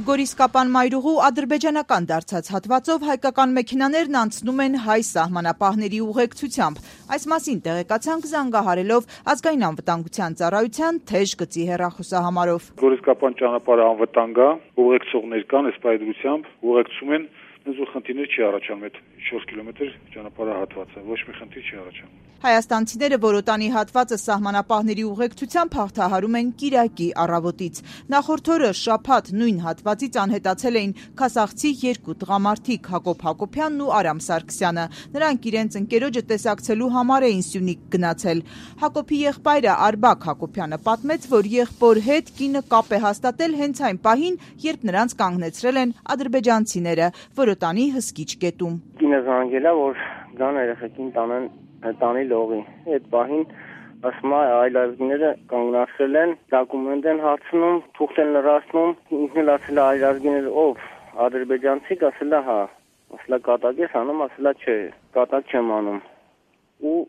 Գորիսկապան մայրուղու ադրբեջանական դարձած հատվածով հայկական մեքենաներն անցնում են հայ սահմանապահների ուղեկցությամբ։ Այս մասին տեղեկացանք զանգահարելով ազգային անվտանգության ծառայության թեժ գծի հեռախոսահամարով։ Գորիսկապան ճանապարհը անվտանգ է, ուղեկցողներ կան, այս պայմանությամբ ուղեկցում են, խնդիրներ չի առաջանում, այդ 4 կիլոմետր ճանապարհահատվածը, ոչ մի խնդիր չի առաջանում։ Հայաստանցիները Որոտանի հատվածը սահմանապահների ուղեկցությամբ հաղթահարում են կիրակի առավոտից։ Նախորդ օրը շաբաթ նույն հատվածից անհետացել էին քասախցի 2 տղամարդիկ՝ Հակոբ Հակոբյանն ու Արամ Սարգսյանը։ Նրանք իրենց ընկերոջը տեսակցելու համար էին Սյունիք գնացել։ Հակոբի եղբայրը Արբակ Հակոբյանը պատմեց, որ եղբոր հետ կինը կապ է հաստատել հենց այն պահին, երբ նրանց կանգնեցրել են ադրբեջանցիները Որոտանի հսկիչ գետում։ Կինը զանգել է, որ գան երեխեքին տանի լողի։ Այդ պահին ասում է այլազգիները կանգնացրել են, դոկումենտ են հարցնում, թուղթ են լրացնում, ինքն էլ ասել է այլազգիները ով, ադրբեջանցիք, ասել է հա, ասել է կատակ ես անում, ասել է չէ, կատակ չեմ անում։ Ու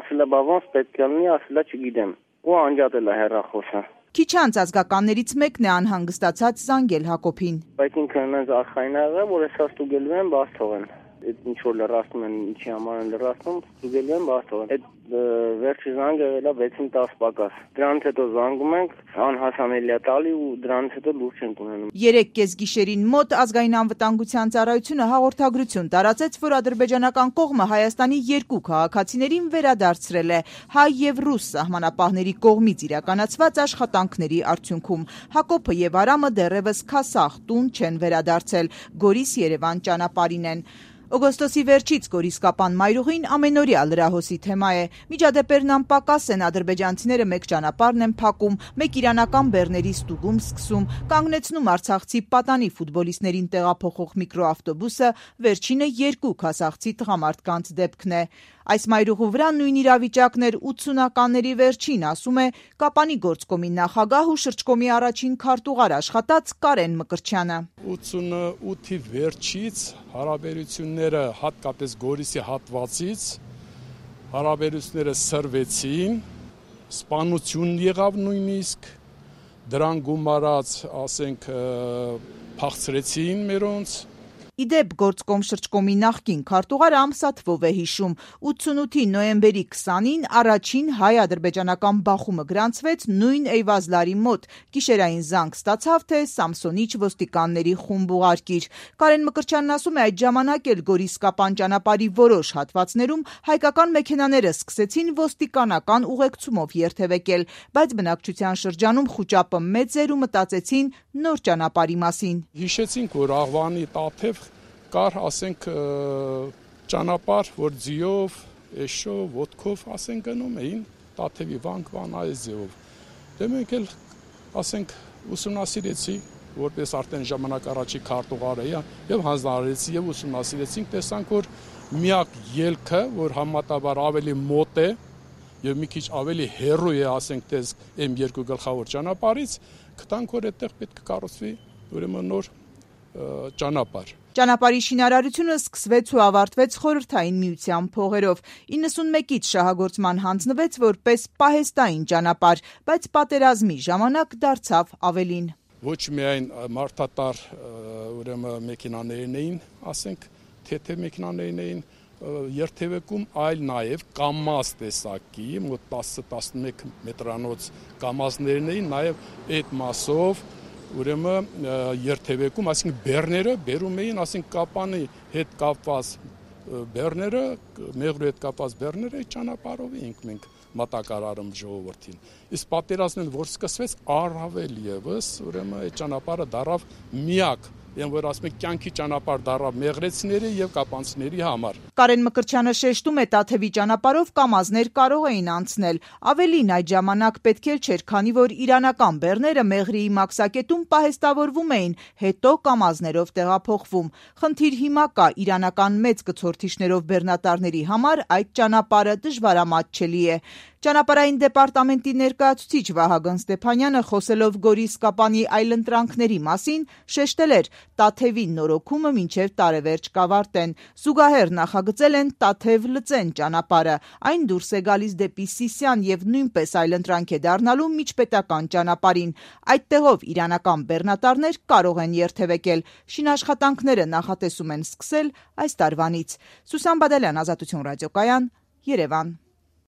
ասել է բա ոնց պետք է լինի, ասել է չգիտեմ։ Ու անջատել է հեռախոսը։ Քիչ անց ազգականներից մեկն է անհանգստացած զանգել Հակոբին։ Բայց ինքը այնպես արխային ա եղել, որ ես ստուգելու եմ, բաց թողեն։ Այդ ինչ որ լրացնում են, ինչի համար են լրացնում, ստուգելու եմ, բաց թողեն։ Այդ վերջի զանգը եղել է 6-ին 10 պակաս։ Դրանից հետո զանգում ենք, անհասանելի է տալի ու դրանից հետո լուրջ ենք ունենում։ 3 կեսգիշերին մոտ ազգային անվտանգության ծառայությունը հաղորդագրություն տարածեց, որ ադրբեջանական կողմը Հայաստանի 2 քաղաքացիներին վերադարձրել է հայ եւ ռուս սահմանապահների կողմից իրականացված աշխատանքների արդյունքում։ Հակոբը եւ Արամը դեռևս քասախ տուն չեն վերադարձել, Գորիս-Երևան ճանապարհին են։ Օգոստոսի վերջից Գորիսկապան մայրուղին ամենօրյա լրահոսի թեմա է։ Միջադեպերն անպակաս են, ադրբեջանցիները մեկ ճանապարհն են փակում, մեկ իրանական բեռների ստուգում սկսում, կանգնեցնում արցախցի պատանի ֆուտբոլիստներին տեղափոխող միկրոավտոբուսը, վերջինը 2 քասախցի տղամարդկանց դեպքն է։ Այս մայրուղու վրա նույն իրավիճակն էր 80-ականների վերջին, ասում է Կապանի գործկոմի նախագահ ու շրջկոմի առաջին քարտուղար աշխատած Կարեն Մկրտչյանը։ 88-ի վերջից հարաբերությունները, հատկապես Գորիսի հատվածից, հարաբերությունները սրվեցին, սպանություն եղավ նույնիսկ, դրան գումարած, ասենք, փախցրեցին մերոնց։ Իդեպ գործկոմ շրջկոմի նախկին քարտուղարը ամսաթվով է հիշում. 88-ի նոյեմբերի 20-ին առաջին հայ-ադրբեջանական բախումը գրանցվեց նույն Էյվազլարի մոտ։ Գիշերային զանգ ստացավ, թե Սամսոնիչ ոստիկանների խումբ ուղարկիր։ Կարեն Մկրտչյանն ասում է, այդ ժամանակ էլ Գորիսկապան ճանապարհի որոշ հատվածներում հայկական մեքենաները սկսեցին ոստիկանական ուղեկցումով երթևեկել, բայց բնակչության շրջանում խուճապը մեծ էր ու մտածեցին նոր ճանապարհի մասին։ Հիշեցինք, որ Աղվանի Տաթև կար, ասենք, ճանապարհ, որ ձիով, էշով, ոտքով, ասենք, գնում էին Տաթևի վանք այս ձևով։ Դե մենք էլ, ասենք, ուսումնասիրեցի, որպես արդեն ժամանակ առաջի քարտուղարը եւ հանձնարարեցի եւ ուսումնասիրեցինք, տեսանք, որ միակ ելքը, որ համատաբար ավելի մոտ է եւ մի քիչ ավելի հեռու է, ասենք, տես M2 գլխավոր ճանապարհից, գտանք, որ այդտեղ պետք է կառուցվի ուրեմն նոր ճանապարհ։ Ճանապարհի շինարարությունը սկսվեց ու ավարտվեց Խորհրդային Միության փողերով։ 91-ից շահագործման հանձնվեց որպես պահեստային ճանապարհ, բայց պատերազմի ժամանակ դարձավ ավելին։ Ոչ միայն մարդատար ուրեմն մեքենաներն էին, ասենք, թեթև մեքենաներն էին երթևեկում, այլ նաև կամազ տեսակի, մոտ 10-11 մետրանոց կամազներն էին, նաև այդ մասով ուրեմն երթևեկում, այսինքն բեռները բերում էին, ասենք Կապանի հետ կապված բեռները, մեղրու հետ կապված բեռները ճանապարհով էինք մենք մատակարարում ժողովրդին։ Իսկ պատերազմն որ սկսվեց, առավել եւս ուրեմն այդ ճանապարհը դարավ միակ, որ ասում եք կյանքի ճանապարհ դարավ մեղրեցիների եւ կապանցիների համար։ Կարեն Մկրտչյանը շեշտում է, Տաթևի ճանապարհով կամազներ կարող էին անցնել։ Ավելին, այդ ժամանակ պետք էլ չէր, քանի որ իրանական բեռները Մեղրիի մաքսակետում պահեստավորվում էին, հետո կամազներով տեղափոխվում։ Խնդիր հիմա կա, իրանական մեծ կցորդիչներով բեռնատարների համար այդ ճանապարհը դժվարամատչելի է։ Ճանապարհային դեպարտամենտի ներկայացուցիչ Վահագն Ստեփանյանը խոսելով Գորի-Սկապանի այլընտրանքների մասին շեշտել էր, Տաթևի նորոգումը մինչև տարեվերջ կավարտեն։ Զուգահեռ նախագծել են Տաթև-Լծեն ճանապարհը։ Այն դուրս է գալիս դեպի Սիսիան եւ նույնպես այլընտրանք է դառնալու միջպետական ճանապարհին։ Այդ տեղով իրանական բեռնատարներ կարող են երթևեկել։ Շինաշխատանքները նախատեսում են սկսել այս տարվանից։ Սուսան Բադալյան, Ազատություն ռադիոկայան, Երևան։